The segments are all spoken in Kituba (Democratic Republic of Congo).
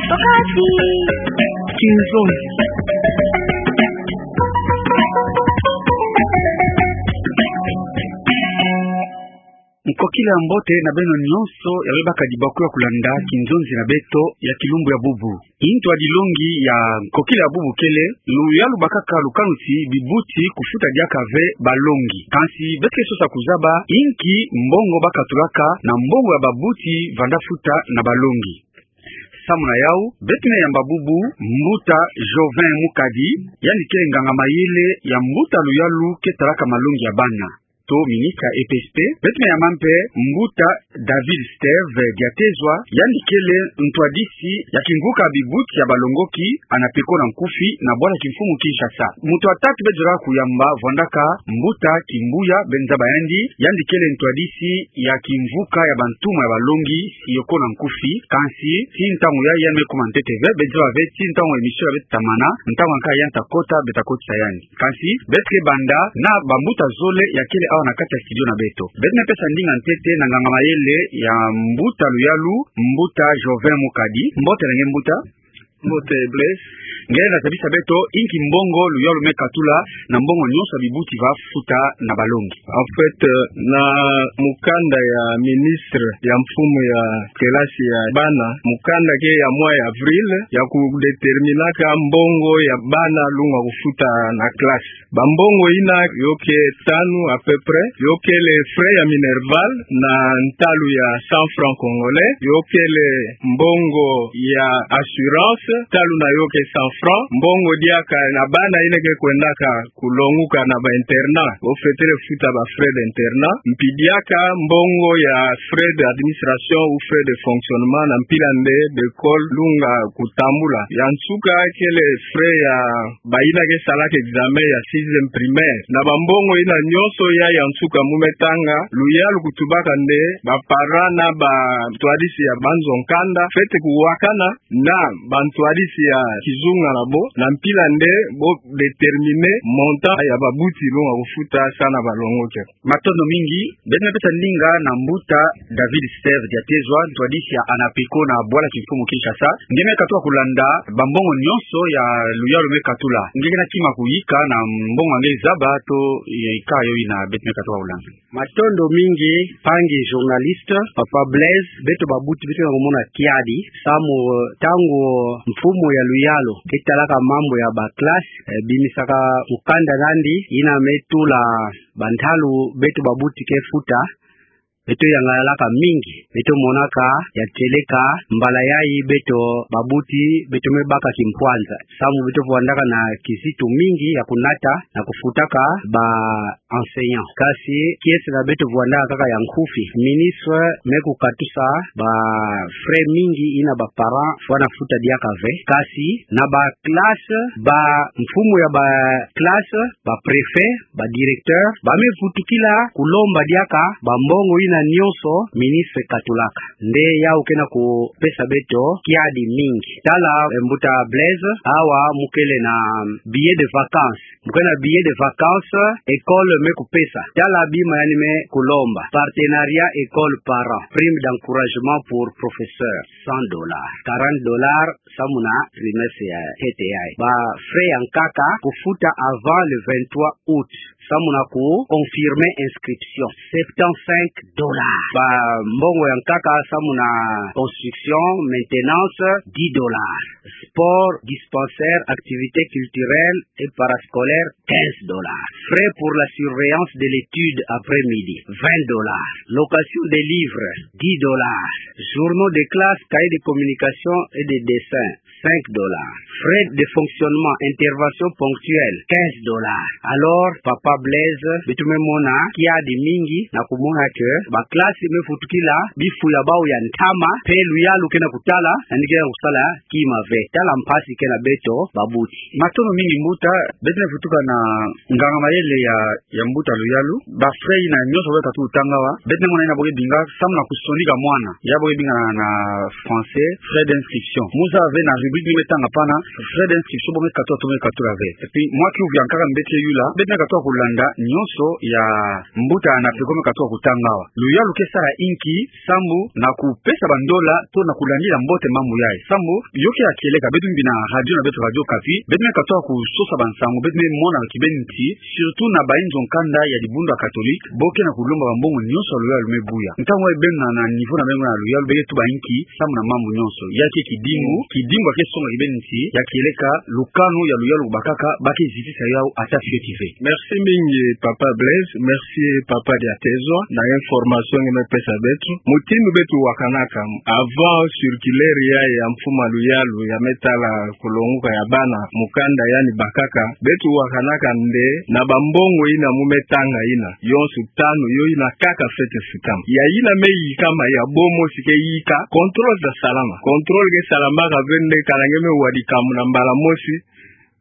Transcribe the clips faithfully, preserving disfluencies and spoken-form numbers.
Okati. Kinzonzi. Nkokila ya mbote na beno nyonso ya bebaka dibakula kulanda kinzonzi na beto ya kilumbu ya bubu. Ntu ya dilongi ya nkokila ya bubu kele, luyalu bakaka lukanuti bibuti kufuta diaka ve balongi. Kansi beto ke sosa kuzaba inki mbongo bakatulaka na mbongo ya babuti vanda futa na balongi. Samu na yau, beto me yamba bubu Mbuta Jovin Mukadi, yandi kele nganga-mayele ya mbuta luyalu ke talaka malongi ya bana, to ministre ya E P S P. Beto me yamba mpe Mbuta David Steve Diatezwa, yandi kele ntwadisi ya kimvuka bibuti ya balongoki, ANAPECO na nkufi, na bwala kimfumu Kinshasa. Muntu ya tatu beto zolaka kuyamba vwandaka Mbuta Kimbuya Benzaba, yandi, yandi kele ntwadisi ya kimvuka ya bantumwa ya balongi, SIECO na nkufi. Kansi tii ntangu yayi yandi me kuma ntete ve, beto zaba ve tii ntangu émission ya beto tamana, ntangu ya nkaka yandi takota, beto takotisa yandi. Kansi beto ke banda na bambuta zole ya kele awa na kati ya studio na beto. Beto me pesa ndinga ntete na nganga-mayele ya mbuta luyalu, Mbuta Jovin Mukadi. Mbote na nge mbuta. Mbote Blaise. Nge na zabisa beto inki mbongo luyalu me katula na mbongo nyonso ya bibuti va futa na balongi? En fait, euh, na mukanda ya ministre ya mfumu ya kelasi ya bana, mukanda ke ya mwa ya avril, ya kudéterminaka mbongo ya bana lunga kufuta na classe. Bambongo yina yo ke tanu à peu près, yo kele frais ya minerval na ntalu ya cent francs congolais, yo kele mbongo ya assurance, ntalu na yo ke cent francs, mbongo diaka na bana yina ke kwendaka kulonguka na ba internat, bo fwetele futa ba frais d'internat, mpi diaka mbongo ya frais d'administration ou frais de fonctionnement na mpila nde d'école lunga kutambula. Ya nsuka kele frais ya bayina ke salaka examen ya sixième primaire. Na bambongo yina nyonso ya, ya nsuka mu me tanga, luyalu kutubaka nde ba parents na bantwadisi ya banzo nkanda fwete kuwakana na bantwadisi ya kizunga na bo, na mpila nde bo déterminer montant ya babuti lunga kufuta sa na balongoki. Matondo mingi. Beto me pesa ndinga na mbuta David Steve Diatezwa, ntwadisi ya ANAPECO na bwala kimfumu Kinshasa. Nge me katuka kulanda bambongo nyonso ya luyalu me katula. Nge ke na kima kuyika na mbongo nge zaba to yika yo yina beto me katuka kulanda. Matondo mingi, mpangi journaliste, Papa Blaise. Beto babuti, beto na kumona kiadi, samu, eh, ntangu mfumu ya luyalu ke talaka mambu ya ba classe, eh, bimisaka mukanda nandi, yina me tula bantalu beto babuti ke futa, beto yangalalaka mingi, beto monaka ya kieleka mbala yayi beto babuti, beto me baka kimpwanza. Samu beto vwandaka na kizitu mingi ya kunata na kufutaka ba enseignants. Kasi kiese na beto vwandaka kaka ya nkufi. Ministre me kukatusa ba frais mingi yina ba parents fwana futa diaka ve. Kasi na ba classe, ba mfumu ya ba classe, ba préfet, ba directeur, ba me vutukila kulomba diaka bambongo yina nyonso ministre katulaka. Nde yau ke na kupesa beto kiadi mingi. Tala, eh, mbuta Blaise, awa mu kele na billet de vacances. Mu kele na billet de vacances, école me kupesa. Tala bima yandi me kulomba. Partenariat école-parent. Prime d'encouragement pour professeur, cent dollars. Quarante dollars, samu na trimestre ya ntete yayi. Ba frais ya nkaka kufuta avant le vingt-trois août. Samu na ku confirmer inscription, septante-cinq dollars. Bambongo ya nkaka samu na construction, maintenance, dix dollars. Sport, dispensaire, activités culturelles et parascolaires, quinze dollars. Frais pour la surveillance de l'étude après-midi, vingt dollars. Location des livres, dix dollars. Journaux de classe, cahiers de communication et de dessin, cinq dollars. Frais de fonctionnement, intervention ponctuelle, quinze dollars. Alors, Papa Blaise, beto me mona kiadi mingi na kumona que ba classe me vutukila bifu ya bau ya ntama, pe luyalu ke na kutala, yandi ke na kusala kima ve. Tala mpasi ke na beto babuti. Matondo mingi mbuta, beto me vutuka na nganga-mayele ya, ya mbuta luyalu. Ba frais yina nyonso bo ke katu tanga awa, beto me mona yina bo ke binga samu na kusonika mwana. Ya bo ke binga na, na français, frais d'inscription. Mu zaba ve na Rubrique ni me tanga pana, Fred Inscription bo me katuka, to me katuka ve. Et puis, mwa kiuvu ya nkaka mbe tie yula, beto me katuka kulanda nyonso ya mbuta ANAPECO me katuka kutanga awa. Luyalu ke sala inki, sambu na kupesa bandola, to na kulandila mbote mambu yayi. Sambu, yo ke ya kieleka, beto mbi na radio na beto Radio Okapi, beto me katuka kusosa bansangu, beto me mona kibeni nti, surtout na bayinzo nkanda ya dibundu ya Catholique, bo ke na kulomba bambongo nyonso ya luyalu me buya. Ntangu yayi beno na, na niveau na beno na luyalu, beke tuba inki, sambu na mambu nyonso. Ya ke kidimbu, kidimbu ya ke songa kibeni nti, ya kieleka, lukanu ya luyalu bakaka, ba ke zitisa yawu ata fioti ve. Merci mingi, Papa Blaise. Merci, Papa Diatezwa, na information nge me pesa beto. Mutindu beto wakanaka, avant circulaire yayi ya mfumu ya luyalu, ya me tala kulonguka ya bana, mukanda yandi bakaka, beto wakanaka nde, na bambongo yina mu me tanga yina, yonso tanu, yo yina kaka fwete futama. Ya yina me yikama ya bo mosi ke yika, contrôle za salama. Contrôle ke salamaka ve nde kana nge me wa dikamu na mbala mosi,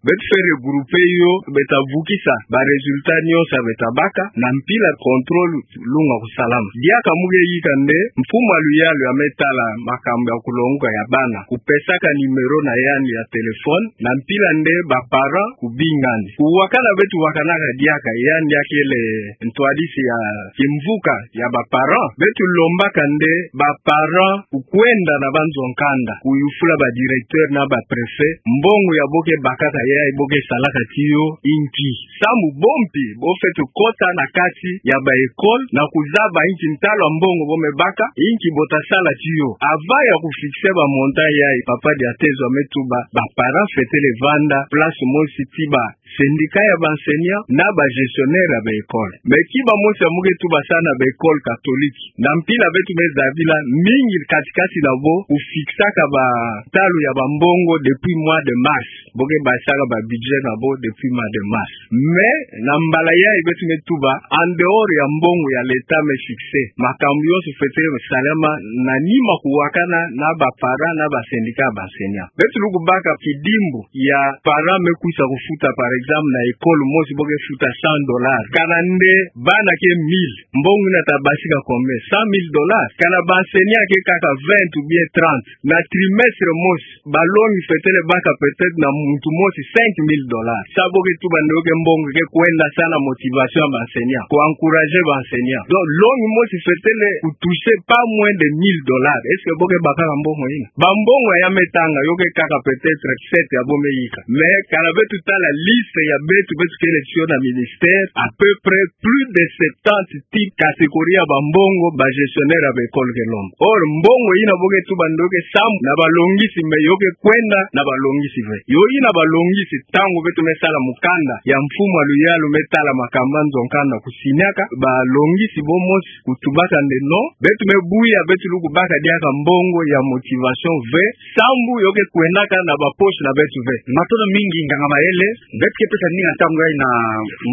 beto fwete regrouper yo, beta vukisa ba résultat nyonso ya beta baka, na mpila contrôle lunga kusalama. Diaka mu ke yika nde, mfumu ya luyalu ya me tala makambu ya kulonguka ya bana, kupesaka numéro na yandi ya téléphone, na mpila nde ba parents kubinga yandi. Kuwakana beto wakanaka diaka, yandi ya kele ntwadisi ya kimvuka ya ba parents. Beto lombaka nde ba parents kukwenda na banzo nkanda, kuyufula ba directeur na ba préfet, mbongo ya bo ke bakaka yayi, bo ke salaka tiyo inki. Sambu bo mpi, bo fwete kota na kati ya ba école, na kuzaba inki ntalu ya mbongo bo me baka, inki bo ta sala tiyo. Avant ya kufixer ba montant yayi, Papa Diatezwa me tuba, ba parents fwetele vanda place mosi ti ba syndicat ya ba enseignants, na ba gestionnaire ya ba école. Mais ki ba mosi ya mu ke tuba sa na ba école catholique. Na mpila beto me zabila mingi kati-kati na bo, kufixaka ba ntalu ya bambongo depuis mois de mars. Bo ke basaka ba budget na bo depuis mois de mars. Mais, na mbala yayi beto me tuba, en dehors ya mbongo ya l'État me fixer, makambu yonso fwete salama na nima kuwakana na ba parents na ba syndicat ya ba enseignants. Beto lukubaka kidimbu ya parent me kwisa kufuta, par exemple, na école mosi bo ke futa cent dollars. Kana nde bana ke mille, mbongo yina ta basika combien? Cent mille dollars. Kana ba enseignants ke kaka vingt ou bien trente. Na trimestre mosi, ba longi fwetele baka peut-être na muntu mosi cinq mille dollars. Sa bo ke tuba nde yo ke mbongo ke kwenda sa na motivation ya ba enseignants, ku encourager ba enseignants. Donc, longi mosi fwetele ku toucher pas moins de mille dollars. Est-ce que bo ke bakaka mbongo yina? Ba mbongo ya me tanga, yo ke kaka peut-être sept ya bo me yika. Mais, kana beto tala liste ya beto, beto kele tiyo na ministère, à peu près plus de septante types, catégorie ya ba mbongo ba gestionnaire ya ba école ke lomba. Or, mbongo yina bo ke tuba nde yo ke sambu na ba longisi, mais yo ke kwenda na ba longisi ve. Yo yina ba longisi, ntangu beto me sala mukanda ya mfumu ya luyalu me tala makambu ya nzo nkanda kusinyaka, ba longisi bo mosi kutubaka nde non, beto me buya, beto lukubaka diaka mbongo ya motivation ve, sambu yo ke kwendaka na ba poche na beto ve. Matondo mingi, nganga mayele. Beto ke pesa ndinga ntangu yayi na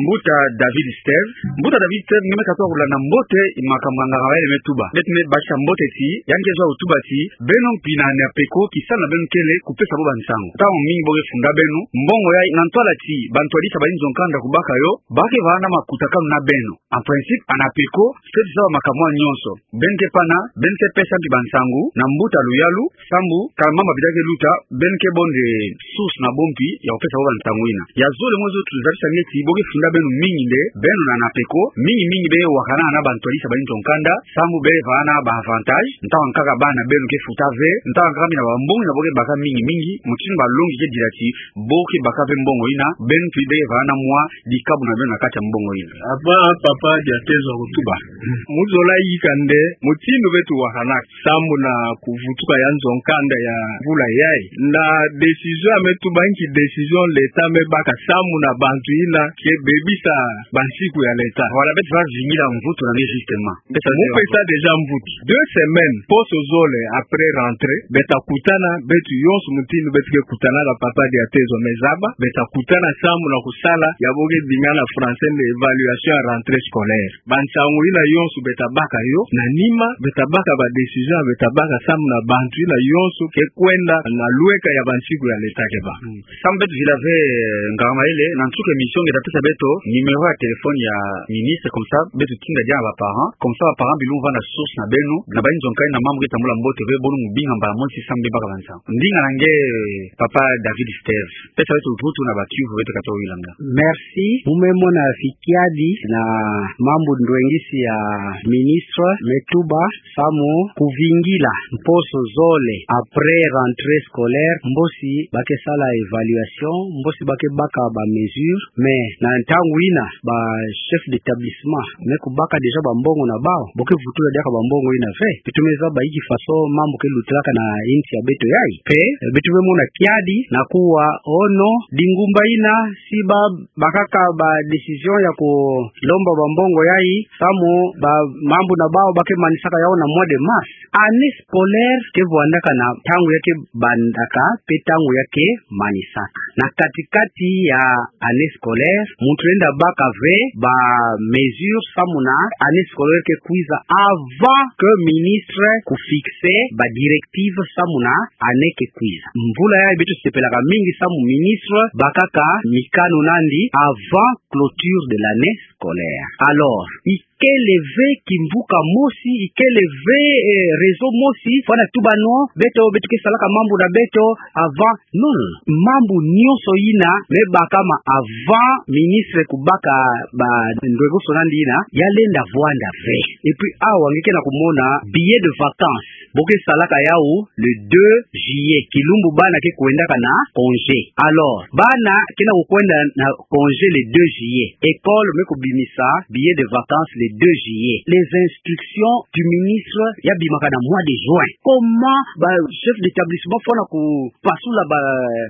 mbuta David Steve. Mbuta David Steve, nge me katuka kulanda mbote makambu ya nganga mayele me tuba. Beto me basisa mbote ti, yandi ke zwa kutuba ti, beno mpi na ANAPECO, kisalu na beno kele kupesa bo bansangu. Ntangu mingi bo ke funda beno, mbongo yayi na ntwala ti ba ntwadisi ya bayinzo nkanda kubaka yo, ba ke vanda makutakanu na beno. En principe, ANAPECO fwete zaba makambu nyonso. Beno ke pana, beno ke pesa mpi bansangu na mbuta luyalu, sambu, kala mama bida ke luta, beno ke bo nde source na bo mpi ya kupesa bo bansangu yina. Ya zole mo zo tuzabisa nge ti, bo ke funda beno mingi nde, beno na ANAPECO, mingi mingi be wakana na ba ntwadisi ya bayinzo nkanda, sambu be vana ba avantage, ntangu ya nkaka bana beno ke futa ve, ntangu ya nkaka mina ba mbongo yina bo ke baka mingi mingi, mutindu ba longi ke dila ti, bo ke baka ve mbongo yina, beno mpi be vana mwa dikabu na beno na kati ya mbongo yina. Avant Papa Diatezwa kutuba, mu zola yika nde, mutindu beto wakanaka, sambu na kuvutuka ya nzo nkanda ya mvula yayi. Na décision ya me tuba nki décision l'État me baka sambu na bantu yina ke bebisa bansiku ya l'État. Voilà, beto va vingila mvutu na nge justement. Mu pesa déjà mvutu. Deux semaines, poso zole après rentrée, beta kutana, beto yonso mutindu beto ke kutana na Papa Diatezwa me zaba, beta kutana samu na kusala ya bo ke benga na français nde évaluation ya rentrée scolaire. Bansangu yina yonso beta baka yo, na nima beta baka ba décision beta baka samu na bantu yina yonso ke kwenda na lweka ya bansiku ya l'État ke bâ. Samu beto vila ve, eh, nganga mayele, na nsuka émission nge ta pesa beto numéro ya téléphone ya ministre, comme ça beto tinda diaka na ba parents, comme ça ba parents bilumbu vanda source na beno, na ba inzo nkai na mambu ke tambula mbote ve, bo lunghu binga mbala mosi samu beno baka bansangu. Ndinga na nge, eh, papa David Steve. Pesa beto vutu na ba kiuvu beto kata wilanga. Merci. Mu me mona kiadi na mambu ndwengisi ya ministre me tuba samu kuvingila mposo zole après rentrée scolaire, mbosi ba ke sala évaluation, mbosi ba ke baka ba mesures, mais na ntangu yina ba chef d'établissement me kubaka déjà ba mbongo na bawu, bo ke vutula diaka ba mbongo yina ve. Beto me zaba inki façon mambu ke lutilaka na insi ya beto yayi. Pe, eh, beto me mona kiadi na kuwa ono, dingumba yina, si ba bakaka ba décision ya kulomba ba mbongo yayi, samu ba mambu na bawu ba ke manisaka yawu na mois de mars. Année scolaire ke vwandaka na ntangu ya ke bandaka, pe ntangu ya ke manisaka. Na kati-kati ya année scolaire, muntu lenda baka ve ba mesures samu na année scolaire ke kwiza avant que ministre kufixer ba directives samu na année ke kwiza. Mvula yayi beto sepelaka mingi samu ministre bakaka mikano nandi avant clôture de l'année scolaire. Alors, ikele ve kimvuka mosi, ikele ve, eh, raison mosi fwana tuba non, beto, beto ke salaka mambu na beto avant. Non, non, non. Mambu nyonso yina me bakama avant ministre kubaka ba ndwengoso nandi yina, ya lenda vwanda ve. Et puis awa nge ke na kumona billet de vacances, bo ke salaka yawu le deux juillet, kilumbu bana ke kwendaka na congé. Alors, bana ke na kukwenda na congé le deux juillet, école me kubimisa billet de vacances le deux juillet. Les instructions du ministre ya bimaka na mois de juin. Comment ba chef d'établissement fwana kupasula ba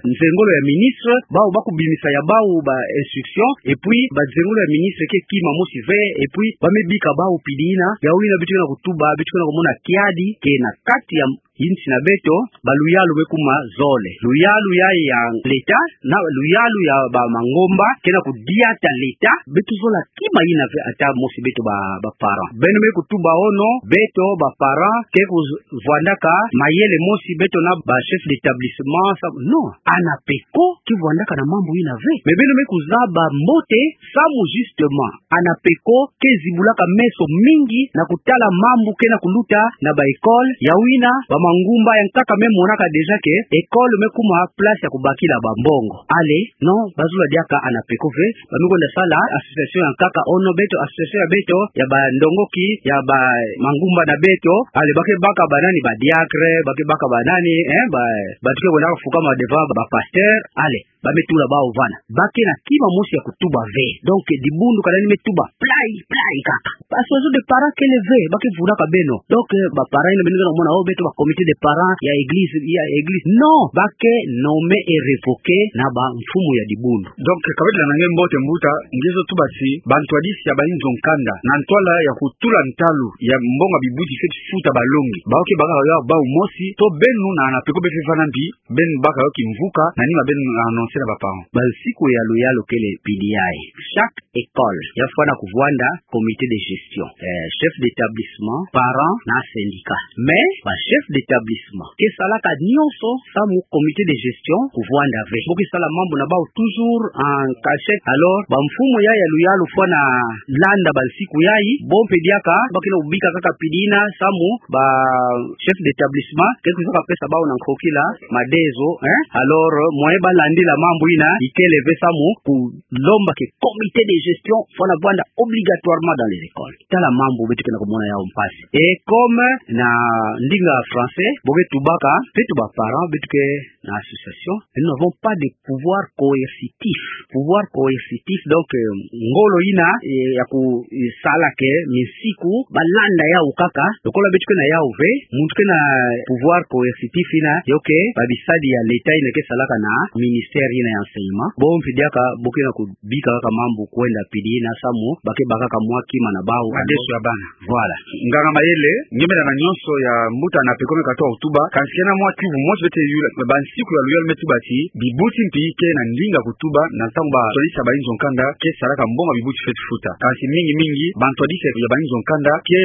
nzengolo ya ministre, bawu ba kubimisa ya bawu ba instructions, et puis ba nzengolo ya ministre ke kima mosi ve, et puis ba me bika bawu pidi yina, yawu yina beto ke na kutuba, beto ke na kumona kiadi ke na kati ya insi na beto, ba luyalu me kuma zole. Luyalu ya, ya l'État, na luyalu ya ba mangomba ke na kudiata l'État, beto zola kima yina ve ata mosi beto ba, ba parents. Beno me kutuba ono, beto ba parents ke kuvwandaka mayele mosi beto na ba chef d'établissement, sa, non, ANAPECO ke vwandaka na mambu yina ve. Mais beno me kuzaba mbote samu justement ANAPECO ke zibulaka meso mingi na kutala mambu ke na kuluta na ba école, yawu yina ba mangumba ya nkaka me monaka déjà que école me kuma place ya kubakila ba mbongo. Allez, non, ba zola diaka ANAPECO ve, ba me kwenda sala association ya nkaka ono, beto association ya beto, ya ba ndongoki, ya ba mangumba na beto, allez, ba ke baka ba nani, ba diacre, ba ke baka ba nani, eh, ba, ba tuke kwenda fukama devant ba pasteur, allez. Ba me tula bawu vana. Ba ke na kima mosi ya kutuba ve. Donc, dibundu ka nani me tuba play, play kaka. Association de parents kele ve, ba ke vunaka beno. Donc, eh, ba parents yina beno ke na kumona, oh, beto ba comité de parents ya église, ya église. Non, ba ke nommé et révoqué na ba mfumu ya dibundu. Donc, ka beto landa nge mbote mbuta, nge zo tuba ti, ba ntwadisi ya ba inzo nkanda, na ntwala ya kutula ntalu ya mbongo ya bibuti fweti futa ba longi, bawu ke baka ya bawu mosi, to beno na ANAPECO be fefana mbi, beno baka yo kimvuka, na nima beno annoncer na ba parents. Ba nsiku ya luyalu kele pidi yayi. Chaque école ya fwana kuvwanda comité de gestion. Eh, chef d'établissement, parents, na syndicat. Mais, ba chef d'établissement ke salaka nyonso samu comité de gestion kuvwanda ve. Bo ke sala mambu na bawu toujours en cachette. Alors, ba mfumu ya, ya luyalu fwana landa ba nsiku yayi, bo mpe diaka, ba ke na kubika kaka pidi yina samu ba chef d'établissement ke kwiza kapesa bawu na nkokila madezo, hein? Alors, moyen ba landila mambu yina, ikele ve samu kulomba que comité de gestion fwana vwanda obligatoirement dans les écoles. Tala mambu beto ke na kumona yawu mpasi. Et comme na ndinga français, bo ke tubaka, beto ba parents, beto ke na association, nous n'avons pas de pouvoir coercitif. Pouvoir coercitif, donc, euh, ngolo yina, eh, ya ku, eh, sala que minsiku ba landa yawu kaka, lokola beto ke na yawu ve, muntu ke na pouvoir coercitif yina, yo ke ba bisadi ya l'État yina ke salaka na ministère yina ya enseignement. Bo mpe diaka bo ke na kubika kaka mambu kwenda pidi yina samu ba ke baka kaka mwa kima na bawu. Madesu ya bana. Voilà. Nganga mayele, ngemena na nyonso ya mbuta Anapeko me katuba kutuba, kansi kena mwa kiuvu mosi beto ke yula, bansiku ya luyalu me tuba ti, bibuti mpi ke na ndinga kutuba, na ntangu ba ntwadisi ya bayinzo-nkanda ke salaka mbongo ya bibuti fweti futa. Kansi mingi mingi, bantwadisi ya bayinzo-nkanda ke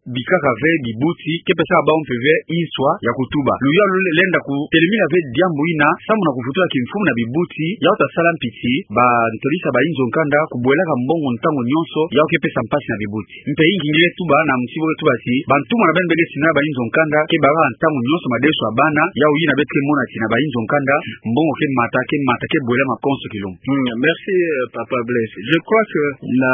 bikaka ve bibuti, ke pesaka bawu mpe ve nswa ya kutuba. Luyalu lenda kutelemina ve diambu yina, samu na kuvutuka kimfumu na bibuti, yawu ta sala mpi ti, bantwadisi ya bayinzo-nkanda, kubwelaka mbongo ntangu nyonso, yawu ke pesa mpasi na bibuti. Mpe inki nge tuba na mutibo ke tuba ti, bantumwa na beno be ke tina bayinzo-nkanda, ke baka ntangu nyonso madesu ya bana, yawu yina beto ke mona ti na bayinzo-nkanda, mbongo ke mata, ke mata, ke bwela makonso kilumbu. Hmm, merci, euh, Papa Blaise. Je crois que na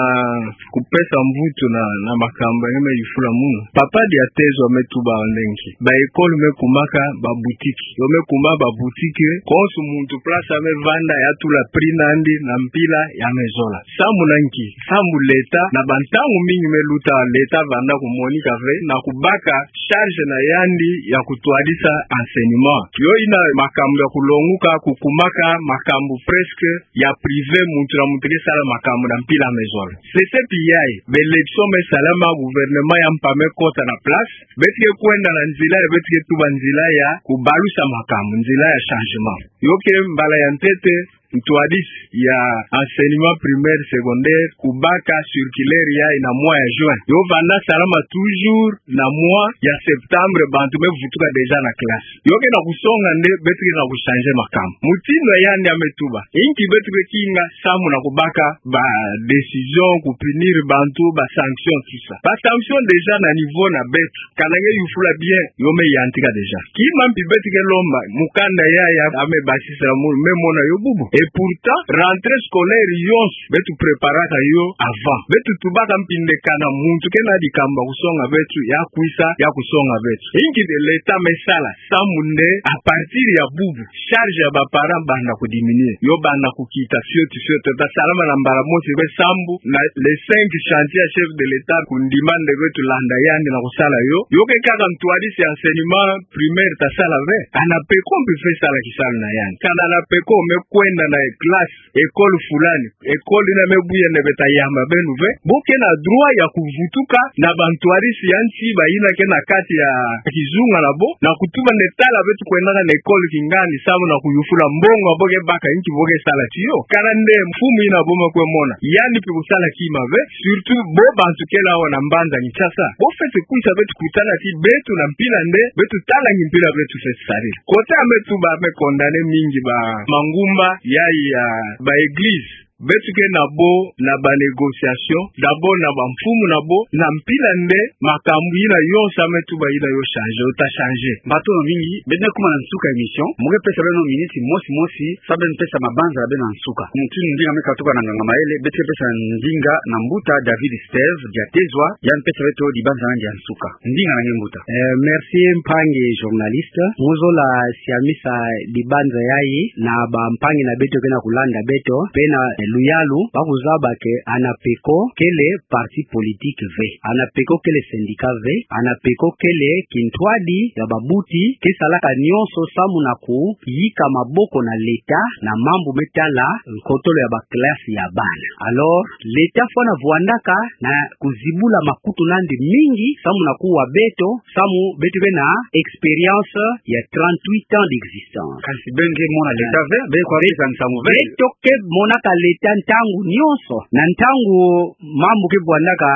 kupesa mvutu na, na makambu ya nge me yufula munu. Papa Diatezwa me tuba nde nki. Ba école me kumaka ba boutique. Yo me kuma ba boutique, konso muntu place ya me vanda ya tula prix na yandi na mpila ya me zola. Samu na nki? Samu l'État, na bantangu mingi me luta, l'État vanda kumonika ve, na kubaka charge na yandi ya kutwadisa enseignement. Yo yina makambu ya kulonguka, kukumaka makambu presque ya privé, muntu na muntu ke sala makambu na mpila ya me zola. Sese pi yayi, ba élection me salama, gouvernement ya mpa me kota na place, beto ke kwenda na nzila ya, beto ke tuba nzila ya kubalusa makambu, nzila ya changement. Yo ke mbala ya ntete, ntwadisi ya enseignement primaire, secondaire, kubaka circulaire yayi na mois ya juin. Yo vanda salama toujours na mois ya septembre, bantu me vutuka déjà na classe. Yo ke na kusonga nde beto ke na kuchanger makambu. Mutindu ya yandi ya me tuba. Inki beto ke kinga samu na kubaka ba décision, kupunir bantu, ba sanction, tout ça. Ba sanction déjà na niveau na beto. Kana nge yufula bien, yo me yantika déjà. Kima mpi beto ke lomba, mukanda yayi ya me basisa mu, me mona yo bubu. Et pourtant, rentrée scolaire yonso, beto préparaka yo avant. Beto tubaka mpi nde kana muntu ke na dikambu ya kusonga beto, ya kwisa, ya kusonga beto. Inki nde l'État me sala, samu nde, à partir ya bubu, charge ya ba parents banda kudiminuer. Yo banda kukita fioti fioti, ta salama na mbala mosi, be sambu, na le cinq chantier ya chef de l'État kundima nde beto landa yandi na kusala yo. Yo ke kaka ntwadisi ya enseignement primaire ta sala ve. Anapeko mpe fweti sala kisalu na yandi. Kana Anapeko me kwenda na classe, école fulani, école yina me buya nde beta yamba beno ve. Bo ke na droit ya kuvutuka na bantwadisi ya nsi bayina ke na kati ya kizunga na bo, na kutuba nde tala beto kwendaka na école kingandi samu na kuyufula mbongo ya bo ke baka, inki bo ke sala tiyo. Kana nde mfumu yina bo me kwe mona, yandi mpi kusala kima ve, surtout bo bantu kele awa na mbanza Kinshasa. Bo fweti kwisa beto kutana ti beto na mpila nde, beto tala nki mpila beto fweti sadila. Côté ya me tuba, me condamner mingi ba mangumba yayi ya ba église. Beto ke na bo na ba négociation, d'abord na bamfumu na bo, na mpila nde makambu yina yonso ya me tuba yina yo changer, yo ta changer. Matondo mingi, beto me kuma na nsuka ya émission, mu ke pesa beno minute mosi mosi, samu beno pesa mabanza ya beno ya nsuka. Mutindu ndinga me katuka na nganga mayele, beto ke pesa ndinga na mbuta David Steve Diatezwa, yandi pesa beto dibanza na yandi ya nsuka. Ndinga na nge mbuta. Eh, merci mpangi journaliste. Ngizola siamisa dibanza yayi na bampangi na beto ke na kulanda beto, mpe na, eh, luyalu, ba kuzaba que Anapeko kele parti politique ve. Anapeko kele syndicat ve. Anapeko kele kintwadi ya babuti ke salaka nyonso samu na kuyika maboko na l'État na mambu me tala nkotolo ya ba classe ya bana. Alors, l'État fwana vwandaka na kuzibula makutu na yandi mingi, samu na kuwa beto, samu beto ke na expérience ya trente-huit ans d'existence. Kansi beno ke mona l'État ve, beno kwa beto ke kanisa mu ve. Beto ke monaka l'État ntangu nyonso. Na ntangu mambu ke vwandaka,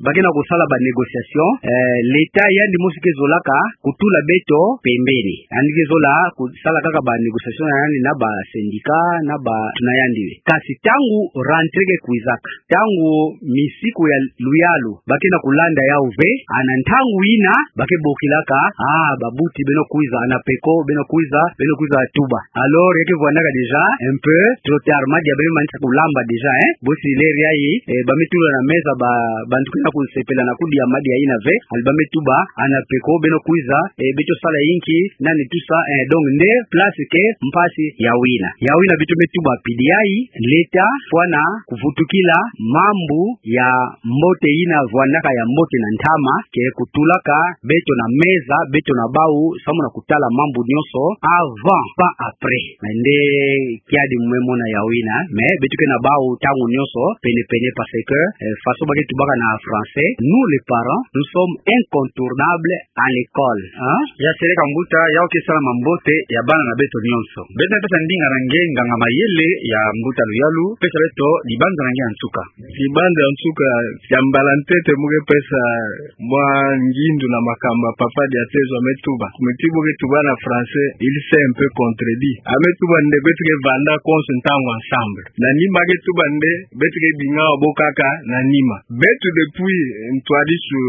ba ke na kusala ba négociation, eh, l'État yandi mosi ke zolaka kutula beto pembeni. Yandi ke zola kusala kaka ba négociation na yandi na ba syndicat, na ba, na yandi. Kansi ntangu rentrée ke kwizaka, ntangu misiku ya luyalu ba ke na kulanda yawu ve, a na ntangu yina ba ke bokilaka, ah, babuti beno kwiza, Anapeko beno kwiza, beno kwiza tuba. Alors, ya ke vwandaka déjà un peu trop tard, madia beno manisa ku kulamba déjà, hein. Bosi leri yayi, eh, ba me tula na meza ba, bantu ke na kusepela na kudia madia yina ve, ali ba me tuba, ana peko, beno kwiza, eh, beto sala inki, nani tout ça, eh, donc nde place ke mpasi ya wina. Ya wina beto me tuba pidi yayi, l'État fwana kuvutukila mambu ya mbote yina vwandaka ya mbote na ntama, ke kutulaka beto na meza, beto na bawu, samu na kutala mambu nyonso, avant, pas après. Mais nde kiadi mu me mona ya wina, mais beto ke na bawu ntangu nyonso, pene-pene, parce que, eh, façon ba ke tubaka na français, nous les parents, nous sommes incontournables à l'école, hein? Ya seleka mbuta, yawu ke sala mambote ya bana na beto nyonso. Beto me pesa ndinga na nge nganga mayele ya mbuta luyalu, pesa beto dibanza na nge ya nsuka. Dibanza ya nsuka, ya mbala ntete mu ke pesa mwa ngindu na makambu ya papa Diatezwa me tuba. Muti bo ke tuba na français, il s'est un peu contredit. A me tuba nde beto ke vanda konso ntangu ensemble. Na nima ke tuba nde beto ke binga bo kaka na nima. Beto depuis ntwadisi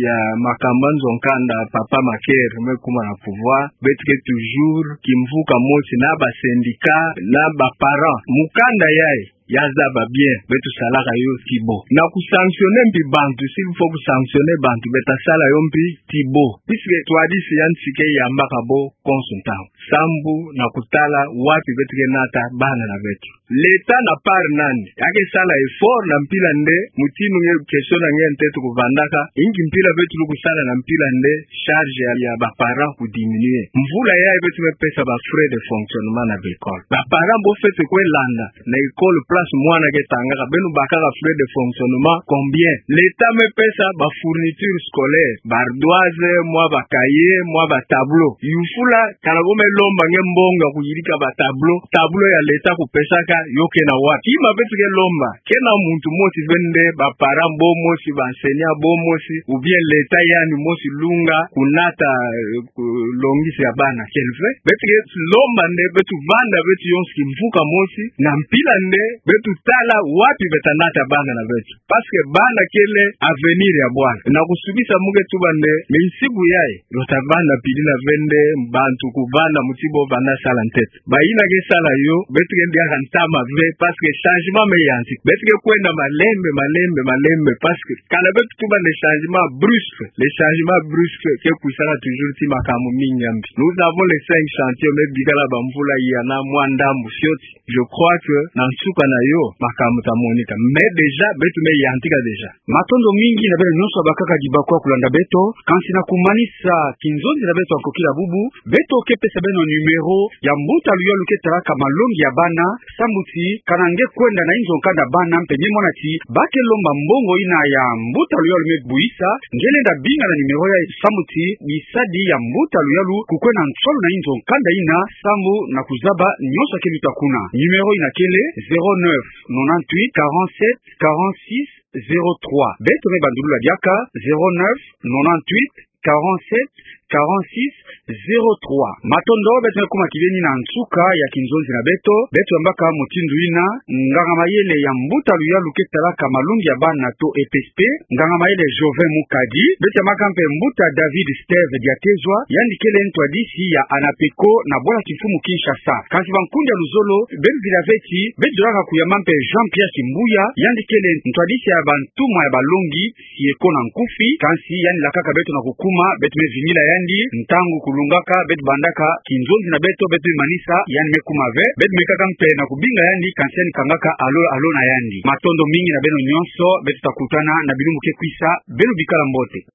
ya makambu ya nzo nkanda papa Maker me kuma na pouvoir, beto ke toujours kimvuka mosi na ba syndicat, na ba parents. Mukanda yayi, ya zaba bien, beto salaka yo ti bo. Na ku sanctionner mpi bantu, s'il faut ku sanctionner bantu, beto ta sala yo mpi ti bo. Puisque ntwadisi ya nsi ke yambaka bo konso ntangu. Sambu na kutala wapi beto ke nata bana na beto. L'État na part na ni, ya ke sala effort na mpila nde, mutindu nge question na nge ya ntete kuvandaka, inki mpila beto lukwe sala na mpila nde, charge ya, ya ba parents ku diminuer. Mvula yayi beto me pesa ba frais de fonctionnement na ba école. Ba parents bo fwete kwe landa na école place mwana ke tangaka, beno bakaka frais de fonctionnement combien? L'État me pesa ba fourniture scolaire, ba ardoise, mwa ba cahier, mwa ba tableau. Yufula, kana bo me lomba nge mbongo ya kuyidika ba tableau, tableau ya l'État kupesaka, yo ke na wapi? Tima beto ke lomba, kena muntu mosi ve nde, ba parents bo mosi, ba enseignants bo mosi, ou bien l'État yandi mosi lunga, kunata, eh, ku-, longisi ya bana, kele ve. Beto ke lomba nde, beto vanda, beto yonso kimvuka mosi, na mpila nde, beto tala wapi beto ta nata bana na beto. Parce que bana kele avenir ya bwala. Na kusukisa mu ke tuba nde, mais nsiku yayi, luta vanda pili na ve nde, bantu kuvanda muti bo vanda sala ntete. Bayina ke sala yo, beto ke ndiaka ntama ve, parce que changement me yantika. Beto ke kwenda malembe, malembe, malembe, parce que kana beto tuba nde changement brusque, le changement brusque ke kwisaka toujours ti makambu mingi ya mbi. Nous avons les cinq chantiers, me bikala ba mvula ya na mwa ndambu fioti. Je crois que na nsuka na yo, makambu ta monika. Mais déjà, beto me yantika déjà. Matondo mingi na beno nyonso bakaka dibakwa kulanda beto, kansi na kumanisa kinzonzi na beto ya nkokila bubu, beto ke pesa beno numéro ya mbuta luyalu ke talaka malongi ya bana, sambu ti, kana nge kwenda na inzo nkanda bana mpe nge mona ti, ba ke lomba mbongo yina ya mbuta luyalu me buyisa, nge lenda binga na numéro yayi sambu ti, bisadi ya mbuta luyalu kukwenda nsolo na inzo nkanda yina, sambu na kuzaba nyonso ya ke luta kuna. Numéro yina kele, zéro neuf, nonante-huit, quarante-sept, quarante-six, zéro trois. Beto me bandulula diaka, zéro neuf, nonante-huit, quarante-sept, quarante-six, zéro trois. Matondo, beto me kuma kibeni na nsuka ya kinzonzi na beto, beto yambaka mutindu yina, nganga mayele ya mbuta luyalu ke talaka malongi ya bana to E P S P, nganga mayele Jovin Mukadi, beto yambaka mpe mbuta David Steve Diatezwa, yandi kele ntwadisi ya ANAPECO na bwala kimfumu Kinshasa. Kansi bankundi ya luzolo, beno vila ve ti, beto zolaka kuyamba mpe Jean-Pierre Kimbuya, yandi kele ntwadisi ya bantumwa ya balongi, si eko na nkufi, kansi yandi lakaka beto na kukuma, beto me vingila yandi, ntangu kulungaka, beto bandaka kinzonzi na beto, beto me manisa, yandi me kuma ve, beto mekaka mpe na kubinga yandi, kansi yandi kangaka allô, allô na yandi. Matondo mingi na beno nyonso, beto ta kutana na bilumbu ke kwisa, beno bikala mbote.